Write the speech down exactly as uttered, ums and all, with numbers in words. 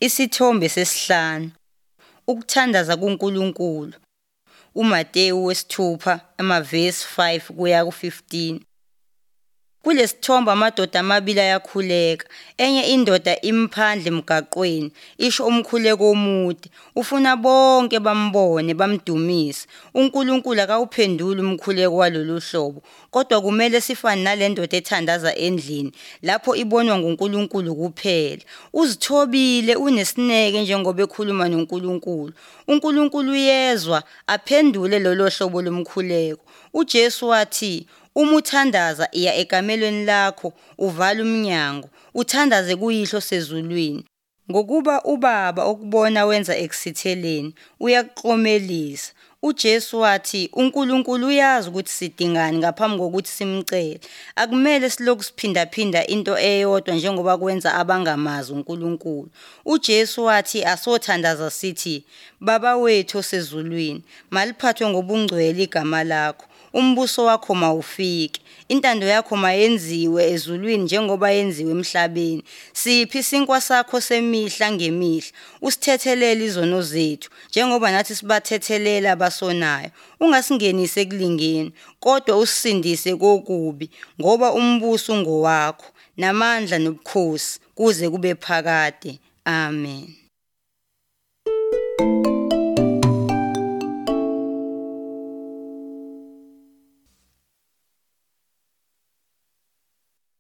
Isithombe sesihlanu, ukuthandaza kuNkulunkulu. UMateyu wesithupha amavesi five kuya ku fifteen. Kulesithombe amadoda amabili ayakhuleka. Enye indoda imphandle emgaqweni isho umkhuleko omude, ufuna bonke bambone bamdumise. UNkulunkulu akawuphenduli umkhuleko walolu hlobo, kodwa kumele sifane nale ndoda ethandaza endlini lapho ibonwa nguNkulunkulu kuphela. Uzithobile, unesineke njengoba ekhuluma noNkulunkulu. UNkulunkulu uyezwa aphendule lolo hlobo lomkhuleko. UJesu wathi, uma uthandaza iya ekamelweni lakho, uvale umnyango, uthandaze kuYihlo osezulwini. Ngokuba uBaba okubona wenza ekusitheleni, uyakuklomelisa. UJesu wathi uNkulunkulu uyazi ukuthi sidingani ngaphambi kokuthi simcele. Akumele silokhu siphindaphinda into eyodwa njengoba kwenza abangamazi uNkulunkulu. UJesu wathi asothandaza sithi, Baba wethu osezulwini, maliphathwe ngobungcwele igama lakho. Umbuso wakho mawufike, intando yakho mayenziwe ezulwini njengoba yenziwe emhlabeni. Siphi isinkwa sakho semihla ngemihla, usithethelele izono zethu njengoba nathi sibathethelela abasonayo. Ungasingenisi ekulingeni, kodwa usisindise kokubi, ngoba umbuso ungowakho, namandla nobukhosi kuze kube phakade. Amen.